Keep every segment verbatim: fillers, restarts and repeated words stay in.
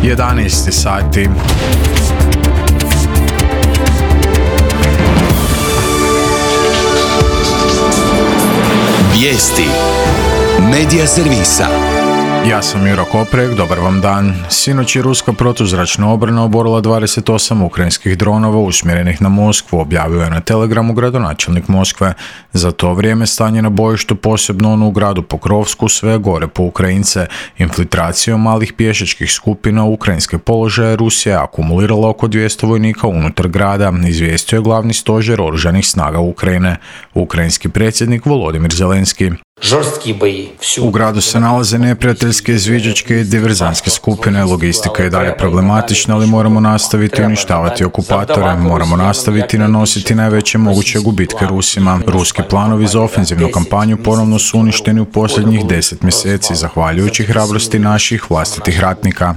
jedanaest sati. Vijesti Medija servisa. Ja sam Juro Koprek, dobar vam dan. Sinoć je ruska protuzračna obrana oborila dvadeset osam ukrajinskih dronova usmjerenih na Moskvu, objavio je na Telegramu gradonačelnik Moskve. Za to vrijeme stanje na bojištu, posebno ono u gradu Pokrovsku, sve gore po Ukrajince. Infiltracijom malih pješačkih skupina u ukrajinske položaje Rusija je akumulirala oko dvjesto vojnika unutar grada, izvijestio je glavni stožer oružanih snaga Ukrajine. Ukrajinski predsjednik Volodimir Zelenski. U gradu se nalaze neprijateljske izviđačke i diverzantske skupine, logistika je dalje problematična, ali moramo nastaviti uništavati okupatore, moramo nastaviti nanositi najveće moguće gubitke Rusima. Ruski planovi za ofenzivnu kampanju ponovno su uništeni u posljednjih deset mjeseci, zahvaljujući hrabrosti naših vlastitih ratnika.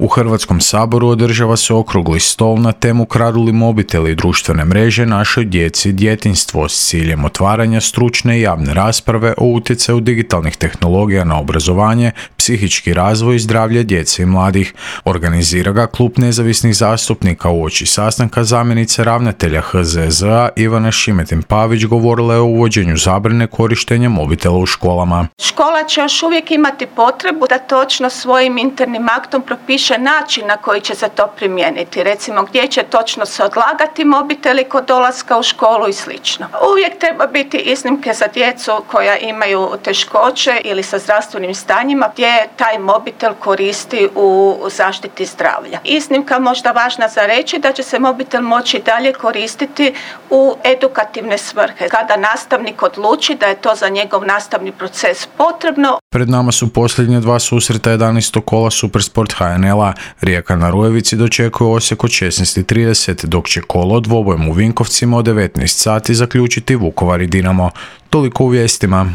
U Hrvatskom saboru održava se okrugli stol na temu kradu li mobiteli i društvene mreže našoj djeci i djetinjstvo s ciljem otvaranja stručne i javne rasprave o utjecaju digitalnih tehnologija na obrazovanje, psihički razvoj i zdravlje djece i mladih. Organizira ga Klub nezavisnih zastupnika uoči sastanka zamjenice ravnatelja H Z Z A Ivana Šimetin-Pavić govorila je o uvođenju zabrane korištenja mobitela u školama. Škola će još uvijek imati potrebu da točno svojim internim aktom propiše način na koji će se to primijeniti. Recimo gdje će točno se odlagati mobiteli kod dolaska u školu i slično. Uvijek treba biti iznimke za djecu koja imaju teškoće ili sa zdravstvenim stanjima gdje taj mobitel koristi u zaštiti zdravlja. Iznimka možda važna za reći da će se mobitel moći dalje koristiti u edukativne svrhe. Kada nastavnik odluči da je to za njegov nastavni proces potrebno. Pred nama su posljednje dva susreta jedanaestog kola Supersport H N L-a. Rijeka na Rujevici dočekuje Osijek od šesnaest i trideset, dok će kolo dvobojem u Vinkovcima od devetnaest sati zaključiti Vukovar i Dinamo. Toliko u vijestima.